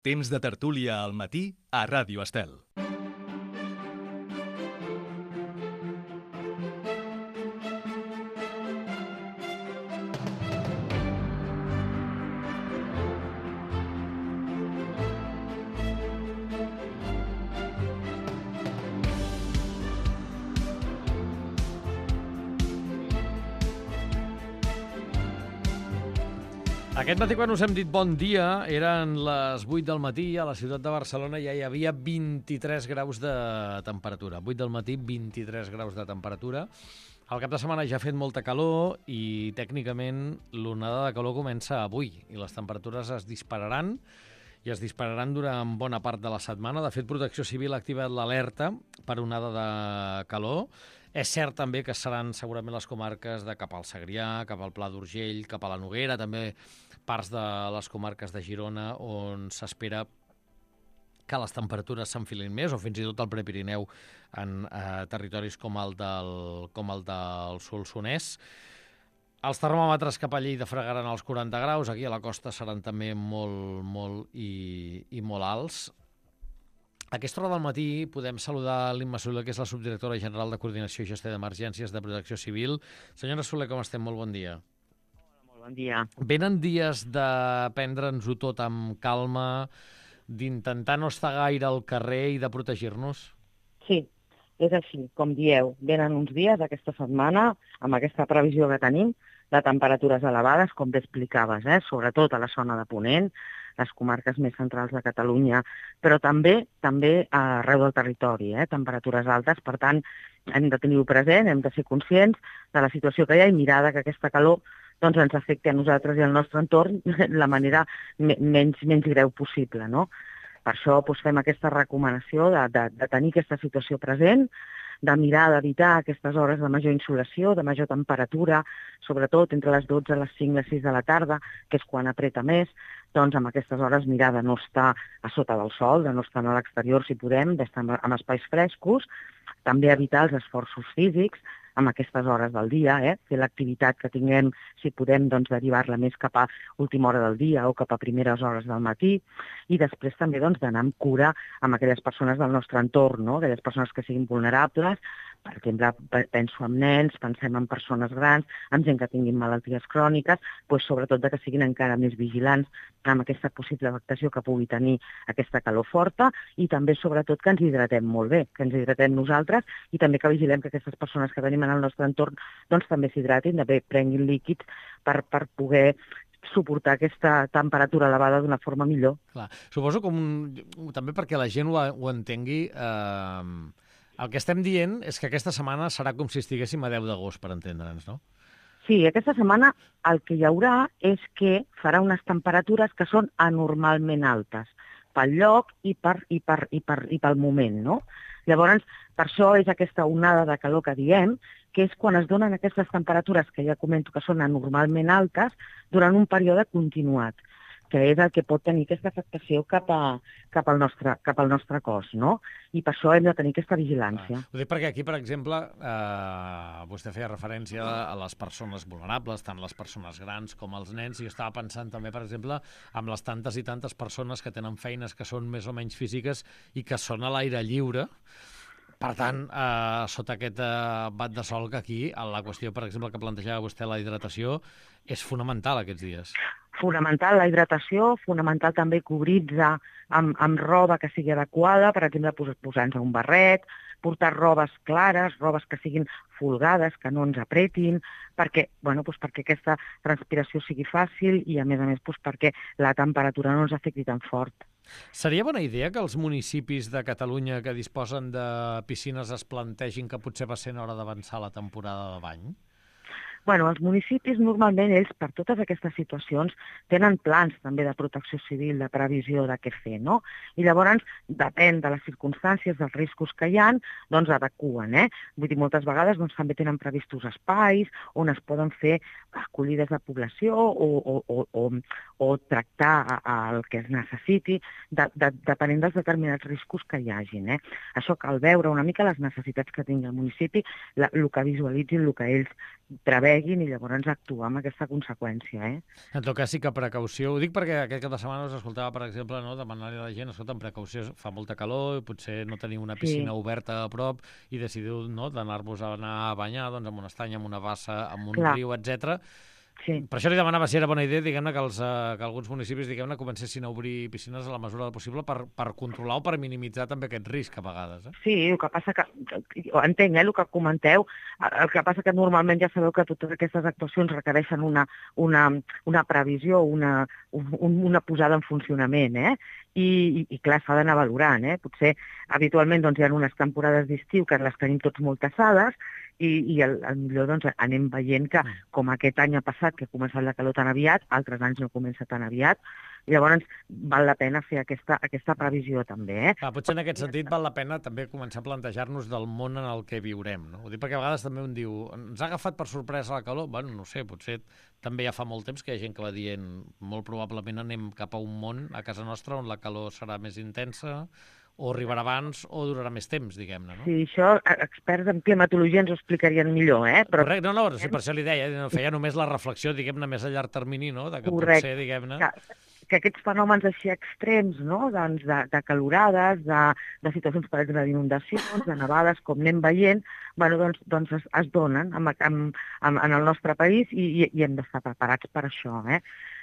Temps de tertúlia al matí a Ràdio Estel. Aquest matí, quan us hem dit bon dia, eren les 8 del matí, a la ciutat de Barcelona ja hi havia 23 graus de temperatura. 8 del matí, 23 graus de temperatura. Al cap de setmana ja ha fet molta calor i, tècnicament, l'onada de calor comença avui i les temperatures es dispararan i es dispararan durant bona part de la setmana. De fet, Protecció Civil ha activat l'alerta per onada de calor. És cert també que seran segurament les comarques de cap al Segrià, cap al Pla d'Urgell, cap a la Noguera, també parts de les comarques de Girona, on s'espera que les temperatures s'enfilin més, o fins i tot al Prepirineu en territoris com el del Solsonès. Els termòmetres cap a Lleida fregaran els 40 graus, aquí a la costa seran també molt alts. A aquesta hora del matí podem saludar l'Imma Soler, que és la subdirectora general de Coordinació i Gestió d'Emergències de Protecció Civil. Senyora Soler, com estem? Molt bon dia. Molt bon dia. Venen dies de prendre'ns-ho tot amb calma, d'intentar no estar gaire al carrer i de protegir-nos? Sí, és així, com dieu. Venen uns dies aquesta setmana, amb aquesta previsió que tenim, de temperatures elevades, com bé explicaves, sobretot a la zona de Ponent, les comarques més centrals de Catalunya, però també arreu del territori, temperatures altes. Per tant, hem de tenir-ho present, hem de ser conscients de la situació que hi ha i mirar que aquesta calor ens afecti a nosaltres i al nostre entorn de la manera menys greu possible, no? Per això fem aquesta recomanació de tenir aquesta situació present, de mirar d'evitar aquestes hores de major insolació, de major temperatura, sobretot entre les 12 i les 5 i les 6 de la tarda, que és quan apreta més, doncs amb aquestes hores mirar de no estar a sota del sol, de no estar a l'exterior si podem, d'estar en espais frescos, també evitar els esforços físics amb aquestes hores del dia, fer l'activitat que tinguem, si podem, derivar-la més cap a última hora del dia o cap a primeres hores del matí, i després també d'anar amb cura amb aquelles persones del nostre entorn, no? Aquelles persones que siguin vulnerables. Per exemple, penso en nens, pensem en persones grans, en gent que tinguin malalties cròniques, sobretot que siguin encara més vigilants amb aquesta possible afectació que pugui tenir aquesta calor forta, i també, sobretot, que ens hidratem molt bé, que ens hidratem nosaltres, i també que vigilem que aquestes persones que tenim en el nostre entorn també s'hidratin, també prenguin líquids per poder suportar aquesta temperatura elevada d'una forma millor. Clar. Suposo també perquè la gent ho entengui. El que estem dient és que aquesta setmana serà com si estiguéssim a 10 d'agost, per entendre'ns, no? Sí, aquesta setmana el que hi haurà és que farà unes temperatures que són anormalment altes, pel lloc i pel moment, no? Llavors, per això és aquesta onada de calor que diem, que és quan es donen aquestes temperatures que ja comento que són anormalment altes durant un període continuat, que és el que pot tenir aquesta afectació cap al nostre cos, no? I per això hem de tenir aquesta vigilància. Ho dic perquè aquí, per exemple, vostè feia referència a les persones vulnerables, tant les persones grans com els nens, i jo estava pensant també, per exemple, amb les tantes i tantes persones que tenen feines que són més o menys físiques i que són a l'aire lliure. Per tant, sota aquest bat de sol, que aquí la qüestió, per exemple, que plantejava vostè, la hidratació, és fonamental aquests dies. Fonamental la hidratació, fonamental també cobrir-se amb roba que sigui adequada, per exemple, posar-nos un barret, portar robes clares, robes que siguin folgades, que no ens apretin, perquè aquesta transpiració sigui fàcil i, a més, perquè la temperatura no ens afecti tan fort. Seria bona idea que els municipis de Catalunya que disposen de piscines es plantegin que potser va sent hora d'avançar la temporada de bany? Els municipis normalment, ells, per totes aquestes situacions, tenen plans també de protecció civil, de previsió de què fer, no? I llavors, depèn de les circumstàncies, dels riscos que hi ha, adequen, Vull dir, moltes vegades també tenen previstos espais on es poden fer acollides de població o tractar el que es necessiti, depenent dels determinats riscos que hi hagin. Això cal veure una mica les necessitats que tingui el municipi, el que visualitzin, el que ells preveuen pleguin i llavors actuar amb aquesta conseqüència. En tot cas, sí que precaució. Ho dic perquè aquest cap de setmana us escoltava, per exemple, no, demanar-li a la gent, escolta, amb precaució, fa molta calor, i potser no teniu una piscina oberta a prop i decidiu, no, d'anar-vos a anar a banyar doncs, amb un estany, amb una bassa, amb un riu, etc. Sí. Per això li demanava si era bona idea, diguem-ne, que alguns municipis, diguem-ne, comencessin a obrir piscines a la mesura del possible per controlar o per minimitzar també aquest risc a vegades. Sí, el que passa que, entenc el que comenteu, el que passa que normalment ja sabeu que totes aquestes actuacions requereixen una previsió, una posada en funcionament, i clar, s'ha d'anar valorant, Potser habitualment doncs, hi ha unes temporades d'estiu que les tenim tots molt tassades, i millor doncs, anem veient que, com aquest any ha passat, que ha començat la calor tan aviat, altres anys no comença tan aviat, i llavors val la pena fer aquesta previsió també. Potser en aquest sentit val la pena també començar a plantejar-nos del món en el que viurem, no? Ho dic perquè a vegades també un diu, ens ha agafat per sorpresa la calor? Bueno, no sé, potser també ja fa molt temps que hi ha gent que va dient molt probablement anem cap a un món a casa nostra on la calor serà més intensa, o arribarà abans o durarà més temps, diguem-ne, no? Sí, això experts en climatologia ens ho explicarien millor, però... Correcte, no, sí, per això li deia, feia només la reflexió, diguem-ne, més a llarg termini, no?, de que Correcte. Potser, diguem-ne... Que aquests fenòmens així extrems, no?, doncs de calorades, de situacions, per exemple, d'inundacions, de nevades, com anem veient, bueno, doncs es donen en el nostre país i hem d'estar preparats per això,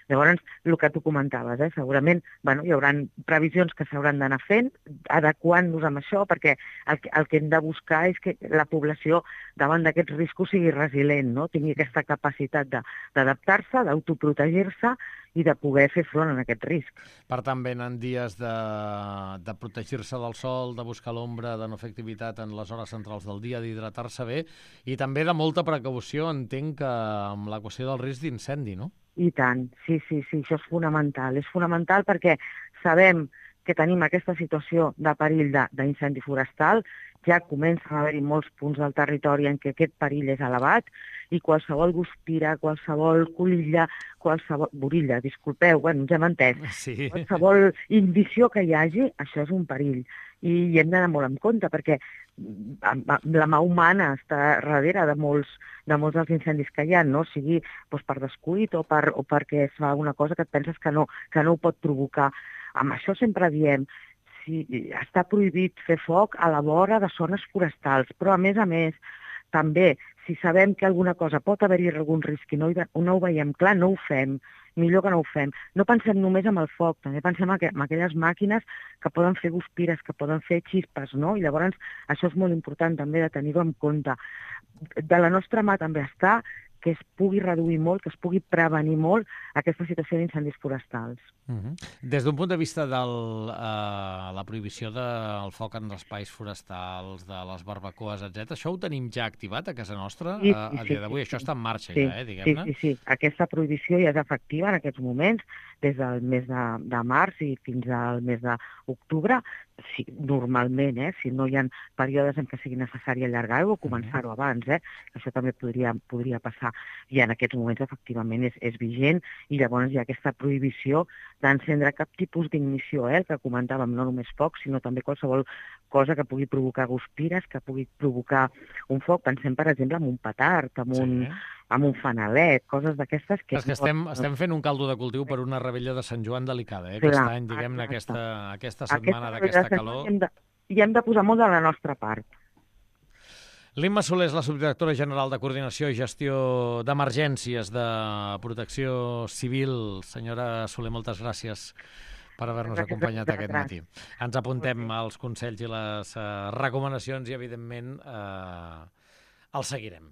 Llavors, el que tu comentaves, segurament hi haurà previsions que s'hauran d'anar fent, adequant-nos amb això, perquè el que hem de buscar és que la població davant d'aquests riscos sigui resilient, no? Tingui aquesta capacitat d'adaptar-se, d'autoprotegir-se i de poder fer front a aquest risc. Per tant, venen dies de protegir-se del sol, de buscar l'ombra, de no fer activitat en les hores centrals del dia, d'hidratar-se bé, i també de molta precaució, entenc, amb la qüestió del risc d'incendi, no? I tant, sí, això és fonamental. És fonamental perquè sabem que tenim aquesta situació de perill d'incendi forestal, ja comencen a haver-hi molts punts del territori en què aquest perill és elevat i qualsevol guspira, qualsevol colilla, borilla, disculpeu, ja m'he entès, sí. Qualsevol indició que hi hagi, això és un perill. I hem d'anar molt en compte perquè la mà humana està darrere de molts dels incendis que hi ha, no? Sigui per descuit o perquè es fa una cosa que et penses que no ho pot provocar. Amb això sempre diem, està prohibit fer foc a la vora de zones forestals, però a més, també, si sabem que alguna cosa pot haver-hi algun risc i no ho veiem clar, no ho fem, millor que no ho fem. No pensem només en el foc, també pensem en aquelles màquines que poden fer guspires, que poden fer xispes, no? I llavors això és molt important també de tenir-ho en compte. De la nostra mà també està que es pugui reduir molt, que es pugui prevenir molt aquesta situació d'incendis forestals. Des d'un punt de vista de la prohibició del foc en espais forestals, de les barbacoes, etc., això ho tenim ja activat a casa nostra a dia d'avui? Això està en marxa ja, diguem-ne? Sí. Aquesta prohibició ja és efectiva en aquests moments, des del mes de març i fins al mes d'octubre. Sí, normalment, si no hi ha períodes en què sigui necessari allargar-ho o començar-ho abans, això també podria passar. I en aquests moments, efectivament, és vigent i llavors hi ha aquesta prohibició d'encendre cap tipus d'ignició, el que comentàvem, no només foc, sinó també qualsevol cosa que pugui provocar guspires, que pugui provocar un foc. Pensem, per exemple, en un petard, amb un fanalet, coses d'aquestes que... És que estem fent un caldo de cultiu per una rebella de Sant Joan delicada, aquest any, diguem-ne, aquesta setmana d'aquesta calor. I hem de posar molt de la nostra part. L'Imma Soler és la subdirectora general de Coordinació i Gestió d'Emergències de Protecció Civil. Senyora Soler, moltes gràcies per haver-nos acompanyat aquest matí. Ens apuntem als consells i les recomanacions i, evidentment, els seguirem.